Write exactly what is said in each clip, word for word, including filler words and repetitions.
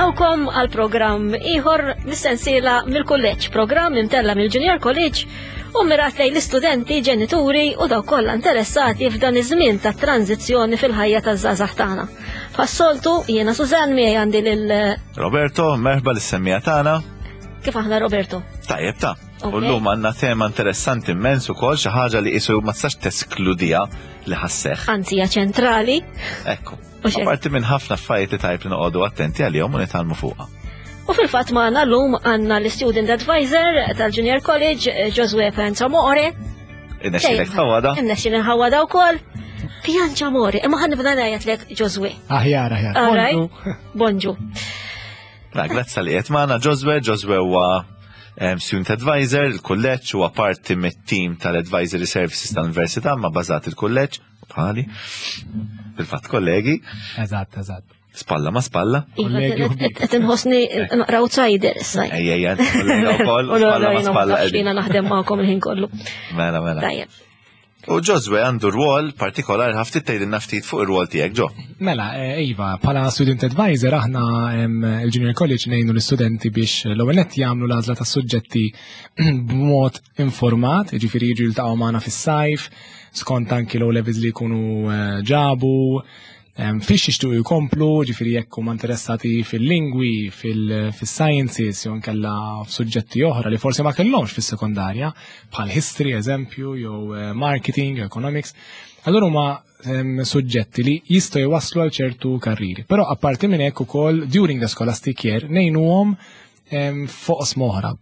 Nilqawkom għal programm ieħor mis-sensiela mill-kulleġġ, programm imtella mill-Junior College u mirat lejn l-istudenti, ġenituri u dawk kollha interessati f'dan iż-żmien ta' tranzizzjoni fil-ħajja taż-żgħażagħ tagħna. Bħas-soltu jiena Sużan, miegħi għandi lil Roberto, merħba lis-semmiegħa tagħna. Kif aħna, Roberto? Tajjeb ta'. U llum għandna tema interessanti immens ukoll, xi ħaġa li qisu ma tistax teskludija li ħa sseħħ. Anzi, hija ċentrali. Ekku. Apparti minn ħafna affarijiet li tajb li noqogħdu attenti għalihom u nitgħallmu fuqha. U fil-fatt magħna llum għandna l-Student Advisor tal-Junior College, Josue Pianciamore. Innexxilek tħawada. Innexxilek ħawada wkoll. Pianciamore, imma ħa nibda ngħidlek Josue. Aħjar, aħjar. All right. Bonġu. Na, grazzi li qed magħna, Josue. Josue huwa student advisor, il-kulleġġ, huwa parti mit-team tal-Advisory Services tal-Università, ma bażat il-kulleġġ, bħali. Fil-fatt kollegi. Eżatt, eżatt. Spalla ma spalla. Kollegi u ħbieb. Qed inħossni naqra outsider issa. Ejja, ejja, kollega wkoll, U spalla ma spalla. Jiena naħdem magħkom il-ħin kollu. Mela, mela. Tajjeb. U Josue għandu rwol partikolari, ħa ftit tgħidilna ftit fuq ir-rwol tiegħek, Ġo. Mela, eh, Iva, bħala student advisor aħna em, il-Junior College ngħinu l-istudenti biex l-ewwel nett jagħmlu l-għażla ta' suġġetti b'mod informat, jiġifieri jiġu jiltaqgħu magħna fis-sajf, skont anki l levels li jkunu eh, ġabu, em, fiex jixtiequ jkomplu, ġifieri jekk huma interessati fil-lingwi, fil-sciences, jew nkella f'suġġetti oħra li forsi ma kellhomx fis-sekondarja, bħal history eżempju, jew eh, marketing, jew economics. Allura huma em, suġġetti li jistgħu jwasslu għal ċertu karriri. Però apparti minn hekk ukoll during the scholastic year ngħinuhom em, fuq oħra.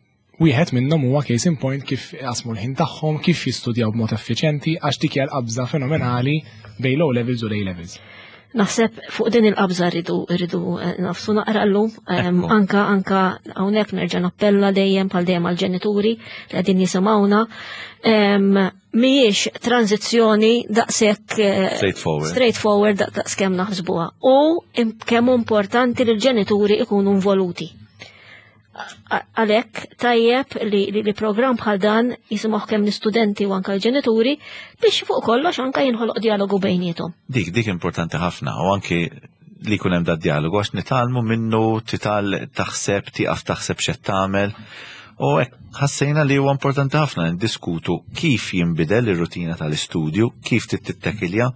Wieħed minnhom huwa, case in point, kif jqasmu l-ħin tagħhom, kif jistudjaw b'mod effiċjenti, għax dik hija l-qabża fenomenali bejn l-O levels u l-A levels. Naħseb fuq din il-qabża rridu rridu eh, nagħfsu naqra llum. Em, Ekku. Anka anka hawnhekk nerġa' nappella dejjem bħal dejjem għall-ġenituri li qegħdin jisimgħuna. Em, Mhijiex tranzizzjoni daqshekk eh, Straightforward. straightforward daqs kemm naħsbuha. U im- kemm hu importanti li l-ġenituri ikunu involuti. A- Għalhekk tajjeb li, li, li program bħal dan jisimgħu kemm l-istudenti u anka l-ġenituri biex fuq kollox anka jinħoloq dialogu bejniethom. Dik, dik importanti ħafna u anki li jkun hemm dad-dialogu għax nitgħallmu minnu, tital taħseb, tieqaf taħseb x'qed tagħmel. U hekk ħassejna li huwa importanti ħafna ndiskutu kif jinbidel ir-rutina tal-istudju, kif tittekilja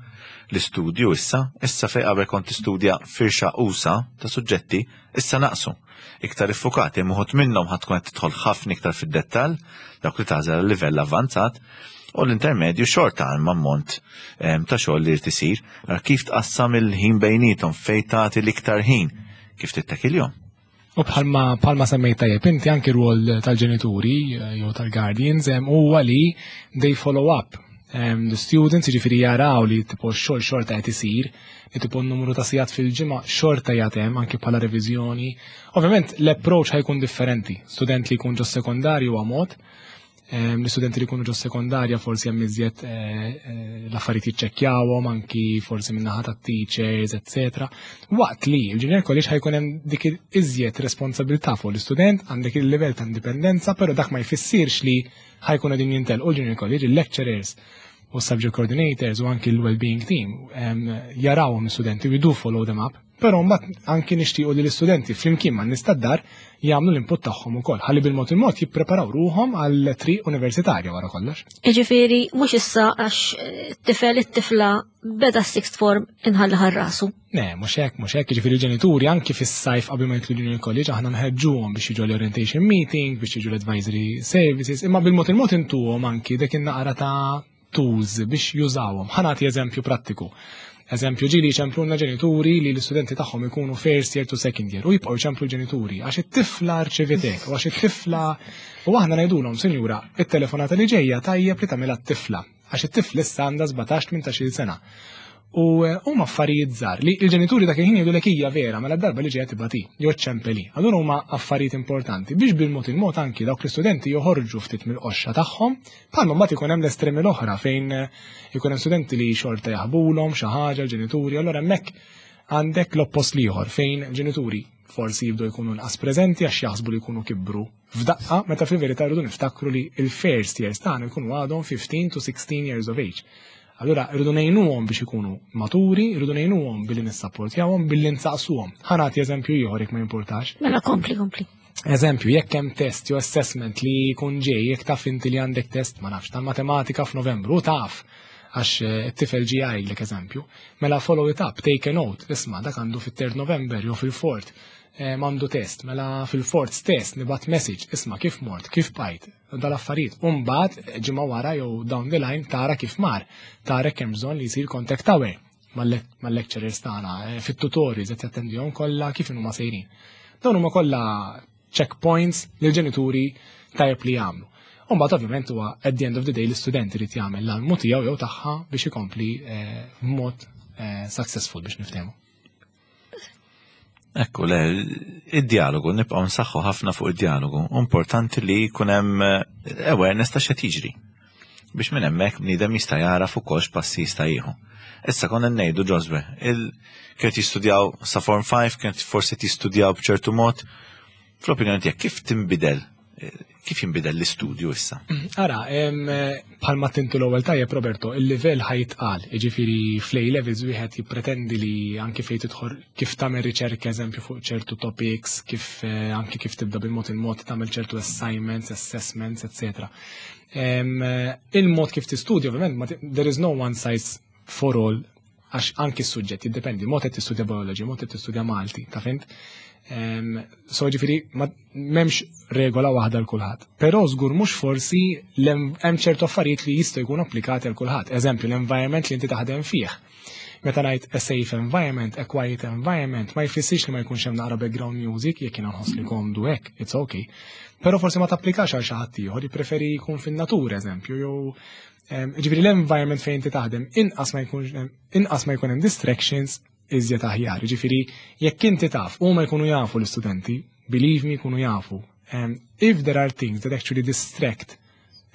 l-istudju issa, issa fej qabel kont tistudja firxa usa ta' suġġetti, issa naqsu. Iktar iffukati, uħud minnhom ħa tkun qed tidħol ħafna iktar fid-dettall, dawk li tagħżel livell avvanzat, u l-intermedju xorta għal ammont em, ta' xogħol li jrid isir, ara kif tqassam il-ħin bejnietom, fejn tagħti l-iktar ħin, kif tittekiljhom. U bħalma bħalma semmejt tajjeb inti, anki rwol tal-ġenituri eh, jew tal-guardians em, huwa li they follow up um, the students, jiġifieri jaraw li tipo xogħol xorta qed isir, li tipo n-numru ta' sigħat fil-ġimgħa xorta jagħtem anki bħala reviżjoni. Ovvjament l-approach ħa jkun differenti. Student li jkun ġo sekondarju huwa mod, em, l-istudenti li jkunu ġo sekondarja forsi hemm iżjed eh, eh, l-affarijiet jiċċekkjawhom anki forsi min-naħa tat-teachers, eccetera. Waqt li il-junior college ħa jkun hemm dik iżjed responsabilità fuq l-istudent, għandek il-livell ta' indipendenza, però dak ma jfissirx li ħa jkun qegħdin jintelqu l-junior college, il-lecturers u subject coordinators u anki l-well-being team em, jarawhom l-istudenti, we do follow them up, però mbagħad anki nixtiequ li l-istudenti flimkien man-nies tad-dar jagħmlu l-input tagħhom ukoll, ħalli bil-mod il-mod jippreparaw ruhom għal triq universitarja wara kollox. Iġifieri, mhux issa għax eh, tifel, it-tifla beda sixth form inħalli għal rasu. Ne, mhux hekk, mhux hekk, jiġifieri l-ġenituri anki fis-sajf qabel ma jidħlu junior college aħna nħeġġuhom biex jiġu l-orientation meeting, biex jiġu l-advisory services, imma bil-mod il-mod intuhom anki dik in-naqra ta' tools biex jużawhom. Ħa nagħti eżempju prattiku. Eżempju, ġieli ċempluna ġenituri li l-istudenti tagħhom ikunu first year to second year u jibqgħu ċemplu l-ġenituri għax it-tifla rċeviet hekk u għax it-tifla, u aħna ngħidulhom: "Sinjura, it-telefonata li ġejja tajjeb li tagħmilha t-tifla għax it-tifla issa għandha sbatax tmintax-il sena." U eh, huma affarijiet żgħar li l-ġenituri dak il-ħin jgħidu hija vera, mela darba li ġejja tibati jew ċempeli. Allura huma affarijiet importanti biex bil-mod il-mod anki dawk l-istudenti joħorġu ftit mill-qoxxa tagħhom, bħalma mbagħad ikun hemm l-estremi l-oħra fejn eh, ikun hemm studenti li xorta jaħbulhom xi ħaġa l-ġenituri, allura hemmhekk għandek l-oppost l-ieħor fejn ġenituri forsi jibdu jkunu nqas preżenti għax jaħsbu li jkunu kibru f'daqqa, meta fil-verità rridu niftakru li il-first years tagħna jkunu għadhom fifteen to sixteen years of age. Allura irridu ngħinuhom biex ikunu maturi, irridu ngħinuhom billi nissapportjawhom, billi nsaqsuhom. Ħa nagħti eżempju ieħor jekk ma jimportax. Mela kompli, kompli. Eżempju, jekk hemm test jew assessment li jkun ġej, jekk taf inti li għandek test, ma nafx, tal-matematika f'Novembru, taf għax eh, it-tifel ġi jgħidlek eżempju, mela follow it up, take a note, isma' dak għandu fit-third November jew fil-fourth, eh, m'għandu test, mela fil-fourth test nibgħat message, isma' kif mort, kif bqajt, dal-affarijiet. Umbagħad ġimgħa wara jew down the line tara kif mar, tara kemm bżonn li jsir contact hour mal-lecturers tagħna, eh, fit-tutorials qed jattendihom kollha kif huma sejrin. Dawn huma kollha checkpoints li l-ġenituri tajjeb li jagħmlu. Umbagħad ovvjament huwa at the end of the day l-istudent irid jagħmel l-almu tiegħu jew tagħha biex ikompli eh, b'mod eh, successful biex niftehmu. Ekku, le, id-dialogu, nibqgħu nsaħħu ħafna fuq id-dialogu. Importanti li jkun hemm eh, awareness ta' x'qed jiġri. Biex minn hemmhekk bniedem jista' jara fuq kolx passi jista' jieħu. Issa konna ngħidu Joswe, il kienet jistudjaw sa Form five, kienet forsi jistudjaw b'ċertu mod. Fl-opinjoni tiegħek kif tinbidel, kif jinbidel l-istudju issa? Ara, bħalma tintu l-ewwel tajjeb Roberto, il-livell ħa jitqal, jiġifieri fl-A levels wieħed jippretendi li anki fejn tidħol kif tagħmel riċerka eżempju fuq ċertu topics, kif eh, anki kif tibda bil-mod il-mod tagħmel ċertu assignments, assessments, eccetera. Il-mod kif tistudja, ovvjament, there is no one size for all, għax anki s-suġġett jiddependi, mod qed tistudja biology, mod qed tistudja Malti, ta' fhimt? So ġifieri, m'hemmx regola waħda l kulħadd. Però żgur mhux forsi hemm ċertu affarijiet li jistgħu jkunu applikati għal kulħadd. Eżempju, l-environment li inti taħdem fih. Meta ngħid a safe environment, a quiet environment, ma jfissirx li ma jkunx hemm naqra background music jekk jiena nħoss li komdu hekk, it's okay. Però forsi ma tapplikax għal xi ħadd ieħor, jippreferi jkun fin-natura eżempju, jew ġifieri l-environment fejn inti taħdem inqas ma jkunx inqas ma jkun hemm distractions iżjed aħjar. Ġifieri jekk inti taf huma jkunu jafu l-istudenti, believe me jkunu jafu. Um, if there are things that actually distract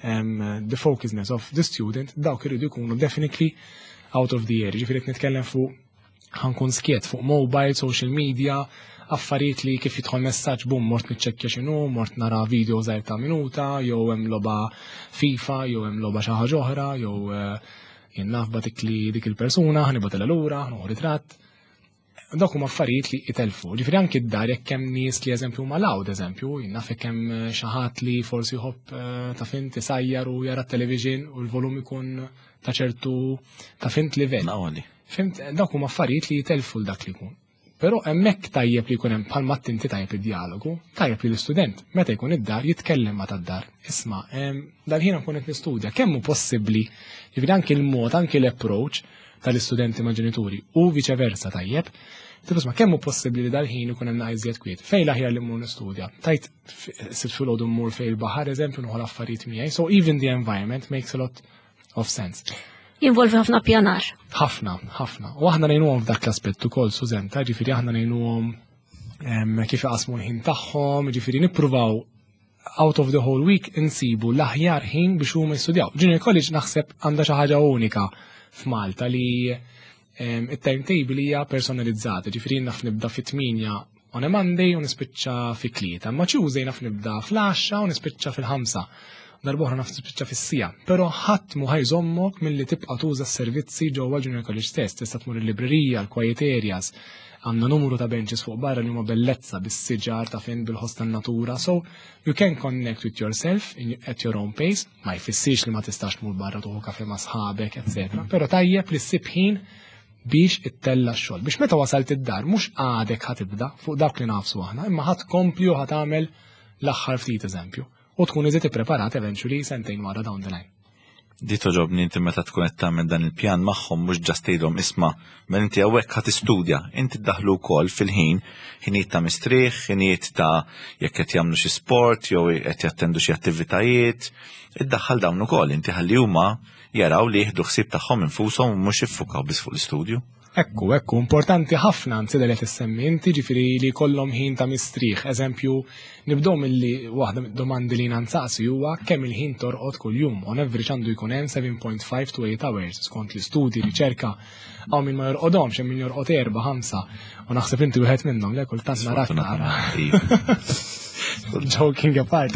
um, the focusness of the student, dawk iridu jkunu definitely out of the air. Ġifieri qed nitkellem fuq ħa nkun skjett fuq mobile, social media, affarijiet li kif jidħol messaġġ bum mort niċċekkja x'inhu, mort nara video żgħir ta' minuta, jew hemm logħba FIFA, jew hemm logħba xi ħaġa oħra, jew eh, jien naf dik li dik il-persuna, ħa nibgħatilha lura, ħa nieħu ritratt. Dawk huma affarijiet li jitelfu. Ġifieri anki d-dar jekk hemm nies li eżempju huma loud eżempju, jien naf jekk hemm eh, xi ħadd li forsi jħobb eh, ta' fhimt isajjar u jara t-television u l-volum ikun ta' ċertu ta' fhimt livell. Nawali. Fhimt, dawk huma affarijiet li jitelfu l dak li jkun. Però hemmhekk tajjeb li jkun hemm bħalma inti tajjeb id-dialogu, tajjeb li l-istudent meta jkun id-dar jitkellem ma tad-dar. Isma' dal-ħin nkun qed nistudja, kemm hu possibbli, jiġifieri anki l-mod, anki l-approach tal-istudenti ma' ġenituri u viċe versa tajjeb. Tipo isma' kemm hu possibbli li dal-ħin ikun hemm iżjed kwiet. Fejn l-aħjar li mmur nistudja? Tajt sitt filgħodu mmur fejn il-baħar eżempju nieħu l-affarijiet miegħi. So even the environment makes a lot of sense. Jinvolvi ħafna pjanar. Ħafna, ħafna. U aħna ngħinuhom f'dak l-aspett ukoll, Sużen, ta' ġifieri aħna ngħinuhom kif jaqsmu l-ħin tagħhom, ġifieri nippruvaw out of the whole week insibu l-aħjar ħin biex huma jistudjaw. Junior College naħseb għandha xi ħaġa unika f'Malta li it-timetable hija personalizzata, ġifieri naf nibda fit-tmienja on a Monday u nispiċċa fit-tlieta, ma Tuesday naf nibda fl-għaxra u nispiċċa fil-ħamsa. Darb'oħra naf nispiċċa fis-siegħa. Però ħadd mu ħa jżommok milli tibqa' tuża s-servizzi ġewwa Junior College stess, tista' tmur il-librerija, l-quiet areas, għandna numru ta' benches fuq barra li huma bellezza bis-siġar ta' fejn bil-ħoss tan-natura. So you can connect with yourself in, at your own pace, ma jfissirx li ma tistax tmur barra tieħu kafe ma' sħabek, eccetera. Però tajjeb li ssib ħin biex ittella x-xogħol. Biex meta wasalt id-dar mhux għadek ħa tibda fuq dak li nafsu aħna, imma ħa tkompli u ħa tagħmel l-aħħar ftit eżempju. U tkun iżjed ippreparat eventually sentejn wara down the line. Di togħġobni inti meta tkun qed tagħmel dan il-pjan magħhom mhux just tgħidhom isma' mela inti hawnhekk ħa tistudja, inti ddaħlu wkoll fil-ħin, ħinijiet ta' mistrieħ, ħinijiet ta' jekk qed jagħmlu xi sport jew qed jattendu xi attivitajiet, iddaħħal dawn ukoll inti ħalli huma jaraw li jieħdu ħsieb tagħhom infushom u mhux jiffukaw biss fuq l-istudju. Ekku, ekku, importanti ħafna anzi li tissemmi inti ġifieri li kollhom ħin ta' mistrieħ. Eżempju, nibdew milli waħda domandi li nansaqsi huwa kemm il-ħin torqod kuljum. On average għandu jkun hemm seven point five to eight hours skont l-istudji, riċerka. Hawn min ma jorqodhomx, hemm min jorqod erba' ħamsa. U naħseb inti wieħed minnhom, le kultant narak nara. Iva. Joking apart.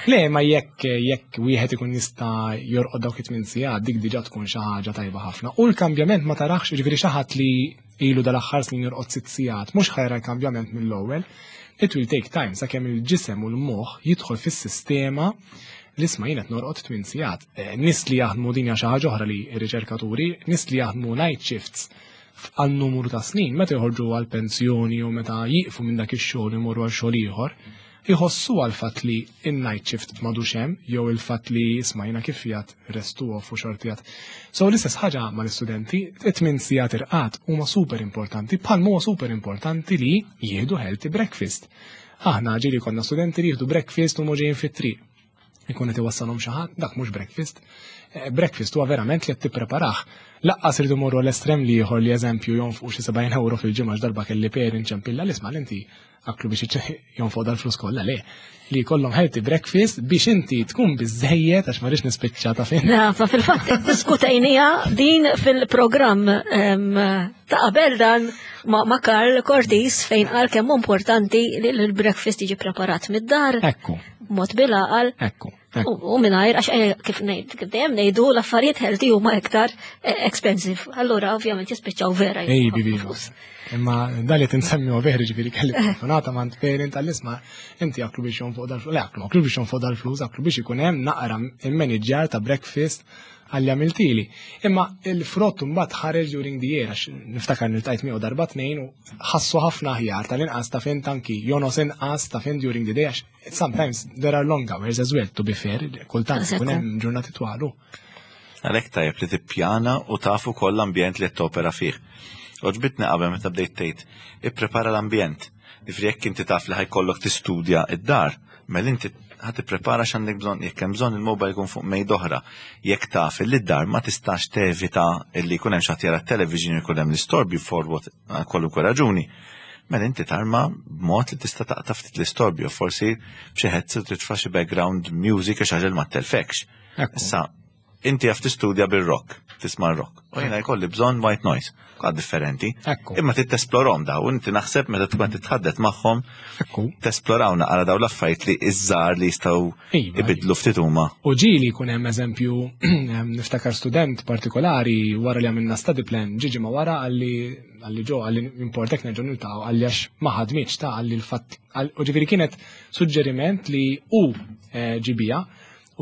Le, ma jekk jekk wieħed ikun jista' jorqod dawk it-tmien sigħat, dik diġà tkun xi ħaġa tajba ħafna. U l-kambjament ma tarax, ġifieri xi ħadd li ilu dal-aħħar snin jorqod sitt sigħat, mhux ħa jara l-kambjament mill-ewwel. It will take time sakemm il-ġisem u l-moħħ jidħol fis-sistema li isma' jien qed norqod tmien sigħat. Eh, Nies li jaħdmu, din hija xi ħaġa oħra li r-riċerkaturi, nies li jaħdmu night shifts għal numru ta' snin, meta joħorġu għal pensjoni u meta jiqfu minn dak ix-xogħol imorru għal xogħol ieħor, jħossu għal fatt li in-night shift m'għadux hemm jew il-fatt li isma' jiena kif jgħid restu off u xortijat. So l-istess ħaġa mal-istudenti, it-tmien sigħat irqad huma super importanti, bħal huwa super importanti li jieħdu healthy breakfast. Aħna ġieli konna studenti li jieħdu breakfast u ġejjin fit-triq. Ikun qed iwassalhom xi ħadd, dak mhux breakfast. Eh, Breakfast huwa verament li qed tippreparah. Lanqas iridu morru l-estrem li ieħor li eżempju jonfqu xi sebgħin euro fil-ġimgħa. Darba kelli parent ċempilli, l-isma' inti aklu biex jonfqu dal-flus kollha. Le. Li jkollhom healthy breakfast biex inti tkun biżejjed, għax ma rridx nispiċċa ta' fin. Nafa, fil-fatt diskutejnija din fil-programm em, ta' qabel dan ma' ma' Karl Cortis, fejn qal kemm hu importanti li l-breakfast jiġi preparat mid-dar, Ekku, mod bil-għaqal ekku, ekku. u u mingħajr, għax eh, kif ngħid kif dejjem ngħidu, l-affarijiet healthy huma iktar eh, expensive. Allura ovvjament jispiċċaw vera Ej, jitfaw bibi. flus. Imma dali tinsemmi u veri, ġifieri kelli telefonata ma' parent tal-isma' inti aklu biex jonfoq dal-flus. Le, aklu, aklu biex jonfoq dal-flus, aklu biex ikun hemm naqra il-manager ta' breakfast għalli għamiltili. Imma il-frott mbagħad ħareġ during the year, għax niftakar niltqajt miegħu darba tnejn u ħassu ħafna aħjar, tal-inqas ta' fin tanki jonqos inqas ta' fin during the day, għax sometimes there are long hours as well, to be fair, kultant ikun hemm ġurnati twalu. Għalhekk tajjeb li tippjana u tafu koll l-ambjent li qed topera fih. Għoġbitni qabel meta bdejt tgħid, ipprepara l-ambjent. Ġifieri jekk inti taf li ħa jkollok tistudja id-dar, mela inti ħa tipprepara x'għandek bżonn, jekk hemm bżonn il-mobile jkun fuq mejda oħra. Jekk taf li d-dar ma tistax tevita illi jkun hemm xi ħadd jara t-television, jkun hemm l-istorbju for what kwalunkwe raġuni. Mela inti tarma b'mod li tista' taqta' ftit l-istorbju, forsi b'xi headset titfa' xi background music, xi ħaġa li ma telfekx. Ekku. Issa, inti jaf tistudja bil-rock, tisma' rock. U jiena jkolli bżonn white noise. Kwa differenti. Ekku. Imma trid tesplorahom daw, inti naħseb meta tkun titħaddet magħhom, Ekku. tesploraw naqra daw l-affarijiet li iż-żgħar li jistgħu Iva, ibidlu ftit huma. U ġieli jkun hemm eżempju, niftakar student partikolari wara li għamilna study plan, ġiġi ma wara għalli għalli ġo għalli importek nerġgħu niltaqgħu, għalli għax ma ħadmitx ta' għalli l-fatt u ġifieri kienet suġġeriment li u eh, ġibija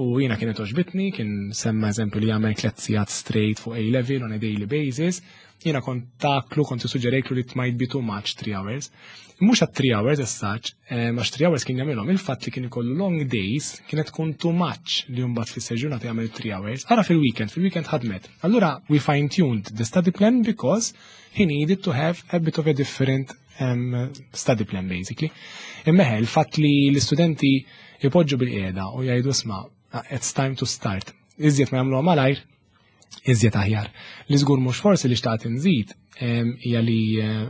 u jiena kienet għoġbitni, kien semma eżempju li jagħmel tliet sigħat straight fuq A level on a daily basis. Jiena kont taklu, kont suġġerejtlu li it might be too much three hours. Mhux għat three hours as such, eh, għax three hours kien jagħmilhom, il-fatt li kien ikollu long days kienet tkun too much li mbagħad fis-seġġurnata jagħmel three hours. Ara fil-weekend, fil-weekend ħadmet. Allura we fine-tuned the study plan because he needed to have a bit of a different um, study plan basically. Imma il-fatt li l-istudenti ipoġġu bil-qiegħda u jgħidu, "Isma', it's time to start." Iżjed ma jagħmluha malajr, iżjed aħjar. Li żgur mhux forsi li xtaqt inżid em, hija li eh,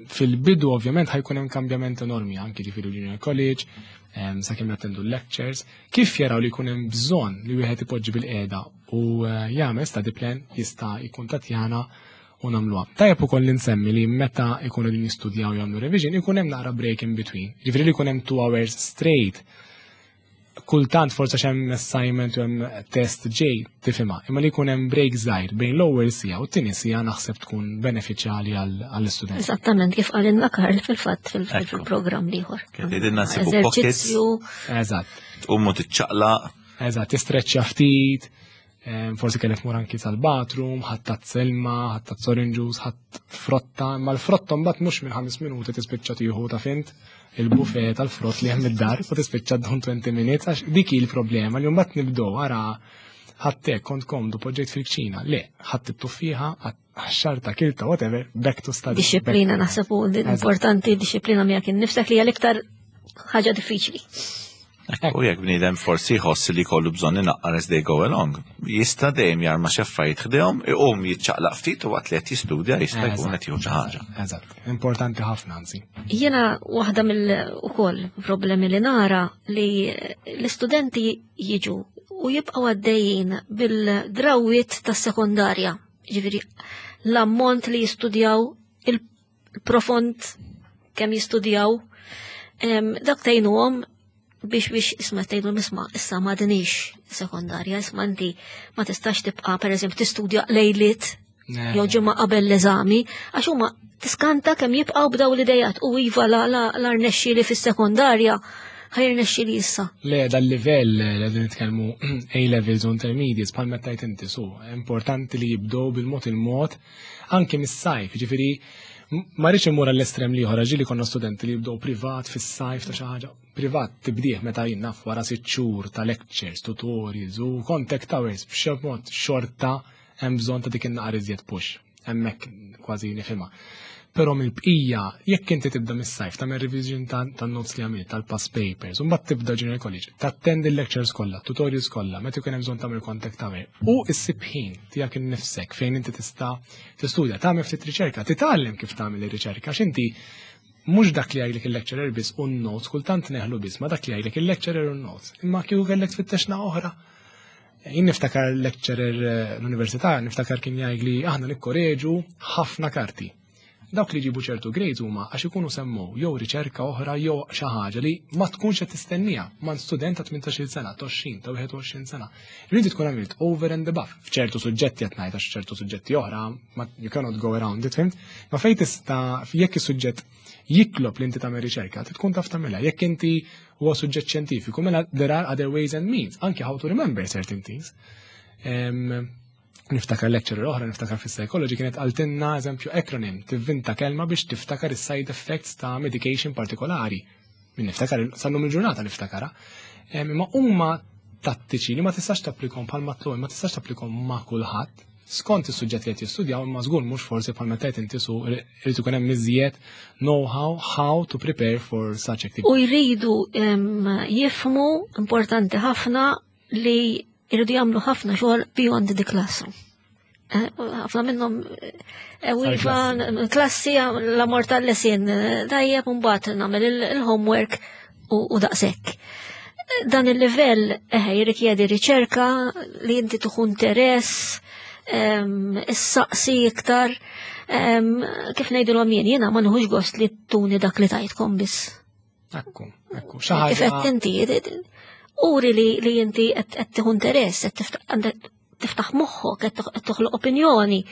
fil-bidu ovvjament ħa jkun hemm kambjament enormi anki ġifieri junior college, em, sakemm jattendu lectures, kif jaraw li jkun hemm bżonn li wieħed ipoġġi bil-qiegħda u eh, jagħmel study plan, jista' jikkuntattjana u nagħmluha. Tajjeb ukoll li nsemmi li meta jkunu din jistudjaw, jagħmlu revision, ikun hemm naqra break in between. Ġifieri li jkun hemm two hours straight kultant forsa hemm assignment u hemm test ġej, tifhimha, imma li jkun hemm break żgħir bejn l-ewwel siegħa u t-tieni siegħa naħseb tkun benefiċjali għall-istudent. Eżattament kif qalilna Karl fil-fatt fil- Ekku. fil-programm l-ieħor. Kif tgħidilna nsibu pockets. Eżerċizzju, Eżatt. Tqumu tiċċaqlaq. Eżatt, tistreċċja ftit, em, forsi kellek mur anki sal-bathroom, ħadd tazza ilma, ħadd tazza orange juice, ħadd frotta, imma l-frotta mbagħad mhux minn ħames minuti tispiċċa tieħu ta' fint il-buffet tal-frott li hemm id-dar u tispiċċa ddum twenty minutes, għax dik hi l-problema li mbagħad nibdew ara ħattek kont komdu poġġejt fil-kċina. Le, ħadd it-tuffieħa, xarta kilta, whatever, back to study. Disciplina back to- naħseb u Eżatt. importanti disciplina miegħek innifsek li hija l-iktar ħaġa diffiċli. U jekk bniedem forsi jħoss li kollu bżonn inaqqar as they go along, jista' dejjem jarma xi affarijiet ħdejhom, iqum jiċċaqlaq ftit u waqt li qed jistudja jista' jkun qed jieħu xi ħaġa. Eżatt, importanti ħafna anzi. Jiena waħda mill ukoll problemi li nara li l-istudenti jiġu u jibqgħu għaddejjin bil-drawiet tas-sekondarja. Ġifieri l-ammont li jistudjaw, il-profond kemm jistudjaw, em, dak tgħinuhom Biex biex isma' tgħidu isma' issa m'għadniex sekondarja, isma' inti ma tistax tibqa' pereżempju tistudja lejliet jew ġimgħa qabel l-eżami, għax huma tiskanta kemm jibqgħu b'daw l-idejat u iva la la la rnexxieli fis-sekondarja, ħa jirnexxieli issa. Le, dal-livell li qegħdin nitkellmu, A-levels u intermediates, bħal meta tajt inti su, importanti li jibdew bil-mod il-mod anke mis-sajf, ġifieri ma rridx immur għall-estrem l-ieħor, ġieli konna studenti li jibdew privat fis-sajf ta' xi ħaġa. Privat tibdih meta jien naf wara sitt xhur ta' lectures, tutorials u contact hours, b'xi mod xorta hemm bżonn ta' dik in-naqra iżjed push. Hemmhekk kważi nifhimha. Però mill-bqija, jekk inti tibda mis-sajf, tagħmel revision tan-notes li għamilt, tal-past papers, u mbagħad tibda junior college, tattendi l-lectures kollha, tutorials kollha, meta jkun hemm bżonn tagħmel contact tagħmel, u issib ħin tiegħek innifsek fejn inti tista' tistudja, tagħmel ftit riċerka, titgħallem kif tagħmel ir-riċerka, għax inti mhux dak li jgħidlek il-lecturer biss u n-notes, kultant neħlu biss, ma dak li jgħidlek il-lecturer u n-notes. Imma kieku kellek tfittexna oħra. Jien niftakar lecturer eh, l-università, niftakar kien jgħidli aħna nikkoreġu ħafna karti. Dawk li jġibu ċertu grades huma għax ikunu semmu jew riċerka oħra jew xi ħaġa li ma tkunx qed tistennija ma' student ta' tmintax-il sena, ta' għoxrin, ta' wieħed u għoxrin sena. Ridi tkun għamilt over and above. F'ċertu suġġetti qed ngħid, għax ċertu suġġetti oħra ma you cannot go around it, fhimt? Ma fejn tista', jekk is-suġġett jitlob li inti tagħmel riċerka, tkun taf tagħmilha. Jekk inti huwa suġġett xjentifiku, mela there are other ways and means, anke how to remember certain things. Em, niftakar lecturer oħra, niftakar fis-psychology, kienet qaltilna eżempju acronym, tivvinta kelma biex tiftakar is-side effects ta' medication partikolari. Min niftakar, sal-lum il-ġurnata niftakara. Em, Imma huma tattiċi li ma tistax tapplikom bħal matlu, ma tistax tapplikom ma' kulħadd. Skont is-suġġett li qed jistudjaw, imma żgur mhux forsi bħal meta qed inti su irid ikun hemm iżjed know-how how to prepare for such activity. U jridu em, jifhmu, importanti ħafna, li jridu jagħmlu ħafna xogħol beyond the classroom. Eh, ħafna minnhom eh, u iva, klassi la mort tal-lesin tajjeb, mbagħad nagħmel il-homework u u daqshekk. Dan il-livell eh, jirrikjedi riċerka, li inti tieħu interess, em, issaqsi iktar, em, kif ngħidulhom jien, jiena ma nieħux gost li tuni dak li tajtkom biss. Ekku, ekku, xi Kif qed ħaġa inti, uri li li inti qed qed tieħu interess, qed tiftaħ għandek tiftaħ moħħok, qed toħ- qed toħloq opinjoni.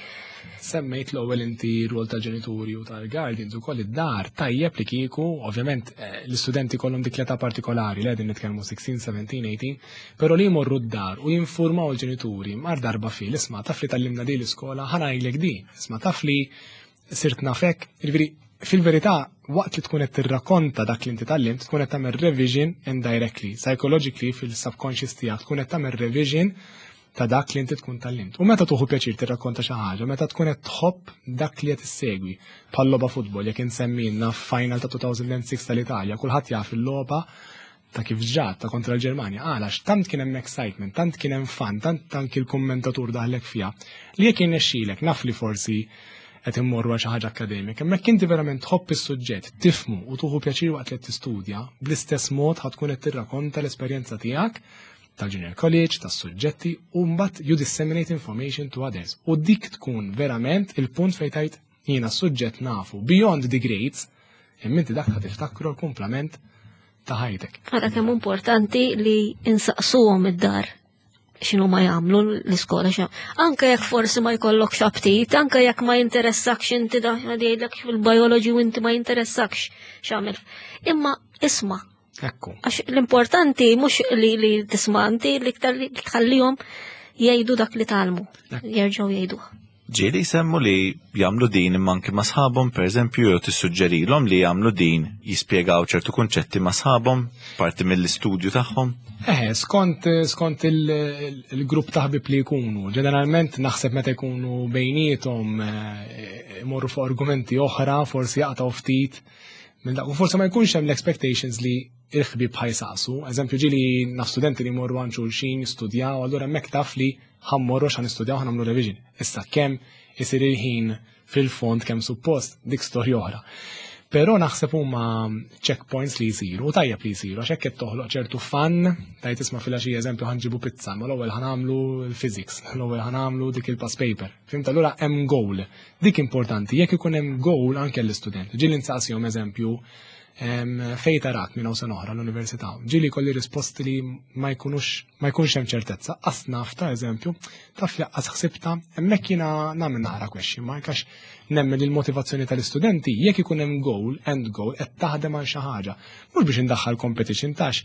Semmejt l-ewwel inti rwol tal-ġenituri u tal-guardians u koll id-dar, tajjeb li kieku, ovvjament eh, l-istudenti kollhom dik l-età partikolari li qegħdin nitkellmu sittax, sbatax, tmintax, però li jmorru d-dar u jinformaw l-ġenituri mar darba fil, isma' taf li tgħallimna di l-iskola, ħa ngħidlek di, isma' taf li sirt nafek, jiġifieri fil-verità waqt li tkun qed tirrakkonta dak li inti tgħallimt, tkun qed tagħmel revision indirectly, psychologically fil-subconscious tiegħek tkun qed tagħmel revision ta' dak li inti tkun tgħallimt. U meta tieħu pjaċir tirrakkonta xi ħaġa, meta tkun qed tħobb dak li qed issegwi, bħal logħba futbol, jekk insemmilna final ta' elfejn u sitta tal-Italja, kulħadd jaf il-logħba ta' kif ġat ta' kontra l-Ġermanja. Għalax tant kien hemm excitement, tant kien hemm fun, tant anki l-kommentatur daħlek fiha, li jekk jirnexxilek, naf li forsi qed immorru għal xi ħaġa akkademika, imma jekk inti verament tħobb is-suġġett, tifhmu u tieħu pjaċir waqt li qed tistudja, bl-istess mod ħa tkun qed tirrakonta l-esperjenza tiegħek tal-junior college, tas-suġġetti, u mbagħad you disseminate information to others. U dik tkun verament il-punt fejn tgħid jiena s-suġġett nafu beyond the grades, imma inti dak ħa tiftakru l-kumplament ta' ħajtek. Għara kemm importanti li insaqsuhom id-dar x'inhu ma jagħmlu l-iskola xa. Anke jekk forsi ma jkollokx aptit, anke jekk ma jinteressakx inti da jgħidlek fil-biology u inti ma jinteressakx x'għamel. Imma isma'. Ekku. Għax l-importanti mhux li, li tisma' inti, l-iktar li tħallihom jgħidu dak li tgħallmu, jerġgħu jgħiduh. Ġieli jsemmu li jagħmlu din imma anke ma' sħabhom, pereżempju, jew tissuġġerilhom li jagħmlu din, jispjegaw ċertu kunċetti ma' sħabhom, parti mill-istudju tagħhom? Eh, skont, skont il- il-grupp ta' ħbib li jkunu. Ġeneralment naħseb meta jkunu bejniethom eh, imorru fuq argumenti oħra, forsi jaqtgħu ftit. minn dak. U forsi ma jkunx hemm l-expectations li il-ħbib ħa jsaqsu. Eżempju, ġieli naf studenti li jmorru għand xulxin jistudjaw, allura hemmhekk taf li ħa mmorru x'ħa nistudjaw, ħa nagħmlu revision. Issa kemm isir il-ħin fil-fond kemm suppost, dik storja oħra. Però naħseb huma checkpoints li jsiru, u tajjeb li jsiru, għax hekk qed toħloq ċertu fun, tajt isma' filgħaxija eżempju ħa nġibu pizza, ma l-ewwel ħa nagħmlu l-physics, l-ewwel ħa nagħmlu dik il-past paper. Fhimt, allura hemm goal. Dik importanti, jekk ikun hemm goal anke l-istudent. Ġieli nsaqsihom eżempju, Fejn tarak minn hawn sena oħra l-università? Ġieli kelli risposti li ma jkunux ma jkunx hemm ċertezza. Qas naf, ta' eżempju, taf li qas ħsibta. Hemmhekk jiena nagħmel naqra question mark, għax nemmen li l-motivazzjoni tal-istudenti, jekk ikun hemm goal, end goal, qed taħdem għal xi ħaġa. Mhux biex indaħħal competition, tax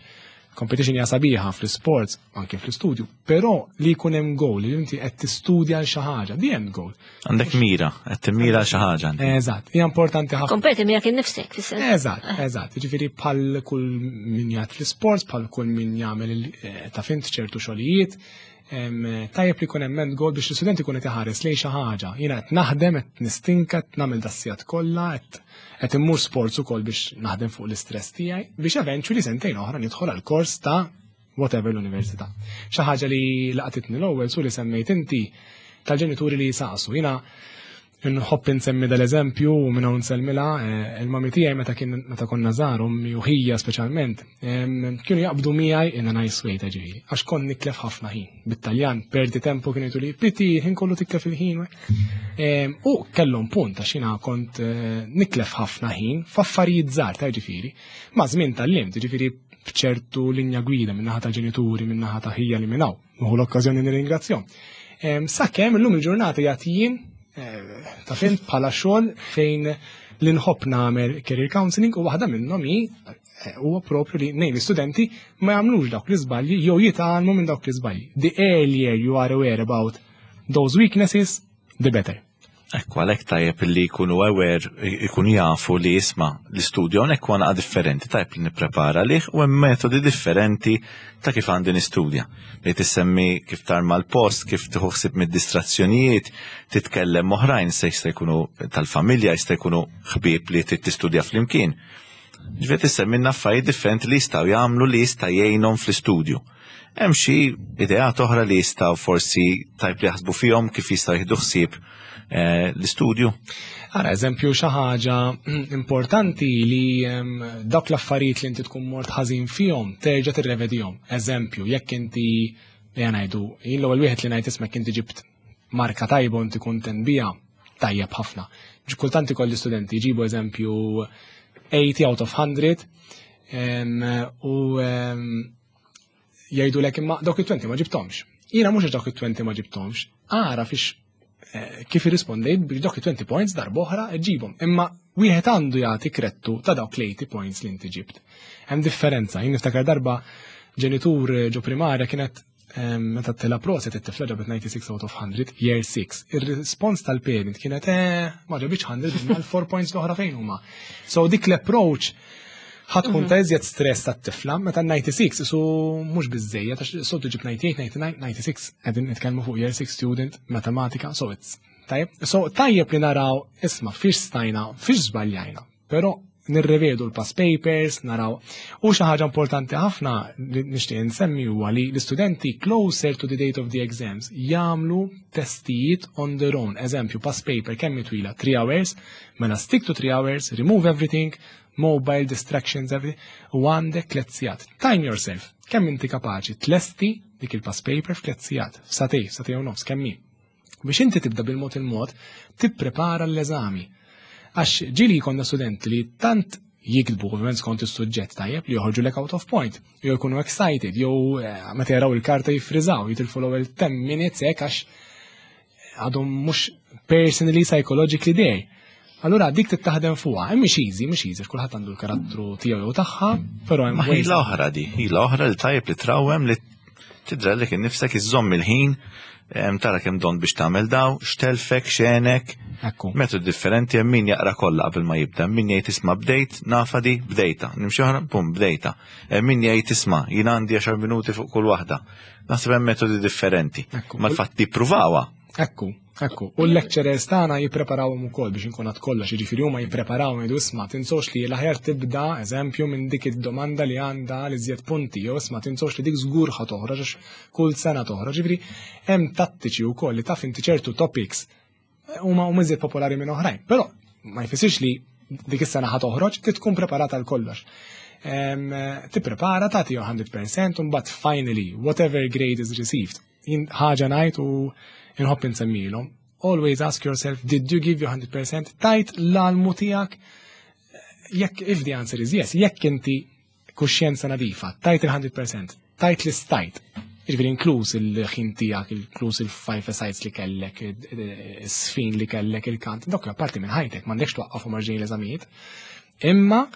competition hija sabiħa fl-sports, anke fl-istudju, però li jkun hemm goal, li inti qed tistudja għal xi ħaġa, the end goal. Għandek mira, qed timmira xi ħaġa. Eżatt, hija importanti ħafna. Kompeti miegħek innifsek, fis-sens. Eżatt, eżatt. Ġifieri bħal kull min jgħid fl-sports, bħal kull min jagħmel eh, ta' fint ċertu xogħlijiet, tajjeb li jkun hemm end goal biex l-istudent ikun qed iħares lejn xi ħaġa. Jiena qed naħdem, qed nistinka, qed nagħmel das-sigħat kollha, qed qed immur sports ukoll biex naħdem fuq l-istress tiegħi biex eventually sentejn oħra nidħol għal kors ta' whatever l-università. Xi ħaġa li laqtitni l-ewwel su li semmejt inti tal-ġenituri li jisaqsu. Jiena nħobb insemmi dal-eżempju u minn hawn nsellmilha eh, il-mami tiegħi meta kien meta konna żgħar, ommi u ħija speċjalment, kienu jaqbdu miegħi in a nice way, ta' ġifieri, għax kont nitlef ħafna ħin. Bit-Taljan "perdi tempo" kienu jgħidu li piti ħin kollu titlef il-ħin. U kellhom punt, għax jiena kont eh, nitlef ħafna ħin f'affarijiet żgħar, ta' ġifieri. Ma' żmien tgħallimt, ġifieri, b'ċertu linja gwida minn naħa ta' ġenituri, minn naħa ta' ħija li minn hawn. Nieħu l-okkażjoni nirringrazzjahom. Sakemm illum il-ġurnata jagħti eh, ta' fejn bħala xogħol fejn li nħobb nagħmel career counseling u waħda minnhom hi eh, huwa propju li ngħin l-istudenti ma jagħmlux dawk l-iżbalji jew jitgħallmu minn dawk l-iżbalji. The earlier you are aware about those weaknesses, the better. Ekku, għalhekk tajjeb li jkunu aware, jkunu jafu li jisma l-istudju hawnhekk huwa naqa differenti, tajjeb li nipprepara lih u hemm metodi differenti ta' kif għandi nistudja. Li tissemmi kif tarma l-post, kif tieħu ħsieb mid-distrazzjonijiet, titkellem oħrajn, se jista' jkunu tal-familja, jista' jkunu ħbieb li trid tistudja flimkien. Ġifieri tissemmi affarijiet differenti li jistgħu jagħmlu li jista' jgħinhom fl-istudju. Hemm xi ideat oħra li jistgħu forsi tajb li jaħsbu fihom kif jistgħu jieħdu ħsieb eh, l-istudju? Ara, eżempju, xi ħaġa importanti li em, dawk l-affarijiet li inti tkun mort ħażin fihom terġa' tirrevedihom. Eżempju, jekk inti, ejja ngħidu, jien l-ewwel wieħed li ngħid, isma', inti ġibt marka tajba u inti kuntent biha, tajjeb ħafna. Kultant ikolli studenti jġibu, eżempju, eighty out of one hundred em, u em, jgħidu lek imma dawk it-twenty ma ġibtomx. Jiena mhux għax dawk it-twenty ma ġibtomx, ara fix eh, kif irrispondejt biex dawk it-twenty points darb'oħra ġibhom. Imma wieħed għandu jagħti krettu ta' dawk l-eighty points li inti ġibt. Hemm differenza. Jien niftakar darba ġenitur ġo primarja kienet em, meta tela proset, it-tifla ġabet ninety-six out of one hundred, year six. Ir-respons tal-parent kienet eh, ma ġabitx one hundred, imma l-four points l-oħra fejn huma? So dik l-approach ħa tkun ta' iżjed stress tat-tifla meta ninety-six isu mhux biżejjed, għax soltu ġib ninety-eight, ninety-nine, ninety-six qegħdin nitkellmu fuq year six student, matematika, so it's tajjeb. So tajjeb li naraw, isma', fiex stajna, fiex żbaljajna, però nirrevedu l-past papers, naraw. U xi ħaġa importanti ħafna li nixtieq insemmi huwa li l-istudenti closer to the date of the exams jagħmlu testijiet on their own. Eżempju, past paper kemm twila? three hours, mela stick to three hours, remove everything, mobile, distractions, everything, u għandek tliet sigħat. Time yourself. Kemm inti kapaċi tlesti dik il-past paper f'tliet sigħat, f'sagħtejn, sagħtejn u nofs, kemm hi? Biex inti tibda bil-mod il-mod tipprepara l-eżami. Għax ġieli konna studenti li tant jiktbu, ovvjament skont is-suġġett, tajjeb, li joħorġu lek out of point, jew jkunu excited, jew eh, meta jaraw il-karta jiffriżaw, jitilfu l-ewwel ten minutes hekk għax għadhom mhux personally, psychologically there. Allura dik tittaħdem fuqha, hemm mhix easy, mhix easy, kulħadd għandu l-karattru tiegħu jew tagħha, però hemm Ma ħila oħra di, ħila oħra li tajjeb li trawem li tidra li kien nifsek iżżomm il-ħin, em, tara kemm domt biex tagħmel daw, x'telfek, x'għenek, Ekku. metodi differenti. Hemm min jaqra kollha qabel ma jibda, hemm min jgħid, "Isma' bdejt, nafa di, bdejta, nimxi oħra, bum, bdejta." Hemm min jgħid, "Isma' jien għandi għaxar minuti fuq kull waħda." Naħseb hemm metodi differenti. Ekku. Ma l-fatt li ppruvawha. Ekku, ekku. U l-lecturers tagħna jippreparawhom ukoll biex inkun għad kollox, jiġifieri huma jippreparaw, jgħidu, "Isma', tinsewx li l-aħjar tibda, eżempju, minn dik id-domanda li għandha li żjed punti, jew isma', tinsewx li dik żgur ħa toħroġ għax kull sena toħroġ." Ġifieri hemm tattiċi wkoll li taf inti ċertu topics huma huma iżjed popolari minn oħrajn. Però ma jfissirx li dik is-sena ħa toħroġ, trid tkun preparata għal kollox. Em, Tipprepara, tagħti one hundred percent u mbagħad finally whatever grade is received. Jien ħaġa ngħid u inħobb insemmilhom. Always ask yourself, did you give your one hundred percent? Tajt l-almu tiegħek? Jekk if the answer is yes, jekk inti kuxjenza nadifa, tajt il-mija fil-mija, tajt li stajt, jiġifieri inkluż il-ħin tiegħek, inkluż il-five sides li kellek, is-sfin li kellek, il-kant, dawk parti minn ħajtek, m'għandekx twaqqafhom marġin l-eżamijiet. Imma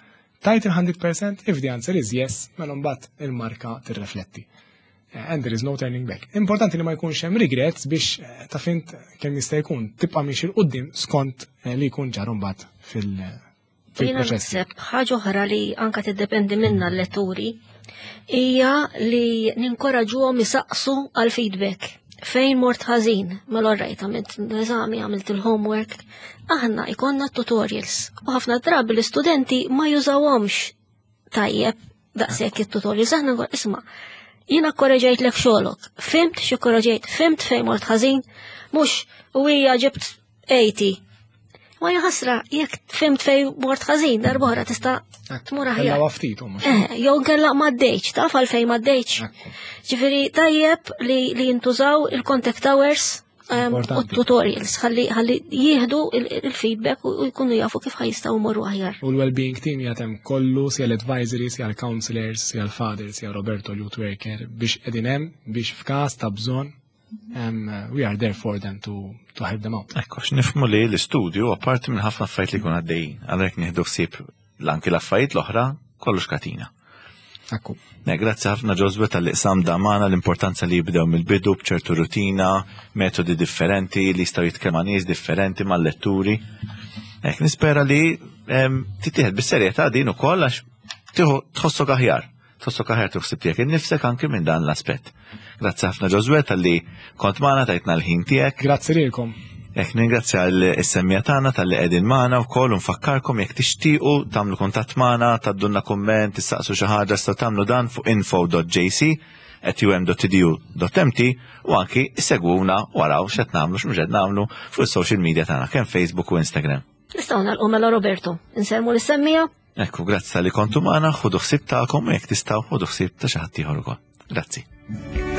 tajt il-mija fil-mija, if the answer is yes, mela mbagħad il-marka tirrefletti. And there is no turning back. Importanti li ma jkunx hemm regrets biex eh, ta' fint kemm jista' jkun tibqa' miexi 'l quddiem skont eh, li jkun ġar mbagħad fil- Jiena fil-proċess. naħseb ħaġa oħra li anka tiddependi minna l-letturi hija li ninkoraġuhom isaqsu għal feedback. Fejn mort ħażin, mela rajt għamilt l-eżami, għamilt il-homework, aħna ikonna tutorials. U ħafna drabi l-istudenti ma jużawhomx tajjeb daqshekk it-tutorials. Aħna nqol isma' jiena korreġejt lek xogħolok, fhimt xi korreġejt, fhimt fejn mort ħażin, mhux u hija ġibt tmenin. Ma jaħasra, jekk fhimt fejn mort ħażin, darb'oħra tista' tmur aħjar. Ella ftit u mhux. Eh, jew nkella m'għaddejtx, taf għalfejn m'għaddejtx. Ekku. Ġifieri tajjeb li, li jintużaw il-contact hours um, u Importanti. tutorials, ħalli ħalli jieħdu il- il-feedback u jkunu jafu kif ħa jistgħu jmorru aħjar. U l-well-being team jatem kollu, sia l-advisory, sia l-counselors, sia l-father, sia Roberto l-youth worker, biex qegħdin hemm, biex f'każ ta' bżonn, um, we are there for them to, to help them out. Ekku, nifhmu li l-istudju, apparti minn ħafna affarijiet li jkun għaddejjin, għalhekk nieħdu ħsieb l-anki l-affarijiet l-oħra, kollox katina. Ekku. Ne, grazzi ħafna Josue talli qsamt magħna l-importanza li jibdew mill-bidu b'ċertu rutina, metodi differenti li jistgħu jitkellmu ma' nies differenti mal-letturi. Ek, nispera li em, titieħed bis-serjetà din ukoll għax tieħu tħossok aħjar. Tħossok aħjar tuħsib tiegħek innifsek anke minn dan l-aspett. Grazzi ħafna Josue talli kont magħna tajtna l-ħin tiegħek. Grazzi lilkom. Ek ningrazzja l-semmiegħa tagħna talli qegħdin magħna wkoll u nfakkarkom jekk tixtiequ tagħmlu kuntatt magħna, tgħaddulna kumment, tistaqsu xi ħaġa tistgħu tagħmlu dan fuq info dot J C at um dot edu dot M T u anki segwuna waraw x'qed nagħmlu x'mhux qed nagħmlu fuq is-social media tagħna kemm Facebook u Instagram. Nistgħu nagħlqu mela, Roberto. Insellmu lis-semmiegħa. Ekku, grazzi talli kontu magħna, ħudu ħsieb tagħkom u jekk tistgħu ħudu ħsieb ta' xi ħadd ieħor ukoll. Grazzi.